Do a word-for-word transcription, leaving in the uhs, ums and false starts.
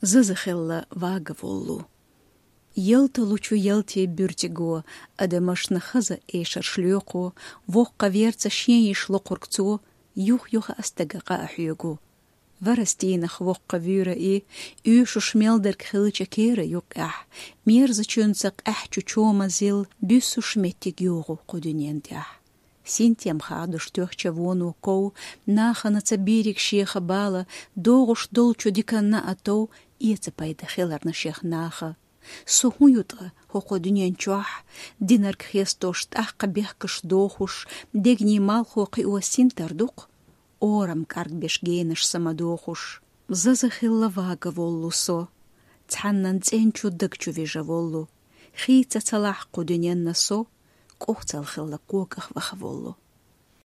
Заза хилла вагаволлу. Ялталучу ялте буьртиго, адамашна хаза эшарш лоькхо, воккха верца шен йиш локхург цо, юх-юха а стага къа а хьоьгу. Варастийнах воккха вуьйра и, уьйшуш мелдарг хилча кера юккъехь, мерзачуьнца къаьхьачу чома зил буьссуш меттиг йогӀу кху дуьнен тӀехь. Синтем хадуш тоьхча воно ков, нахана ца бийриг шеха бала, догӀуш долчу диканна а тов, эца пайда хиларна шех наха. Со хӀун ю ткъа хӀокху дуьнен чохь, динарг хестош, тӀаккха бехкаш дохуш, дегний малхо кхио синтар ду-кх, орам кӀаргбеш генаш са ма дохуш. Заза хилла вагаволлу со, цхьаннан цӀен чу даг чу вижаволлу, хийца ца лахь кху дуьненна со, кӀовцал хилла когах вахаволлу.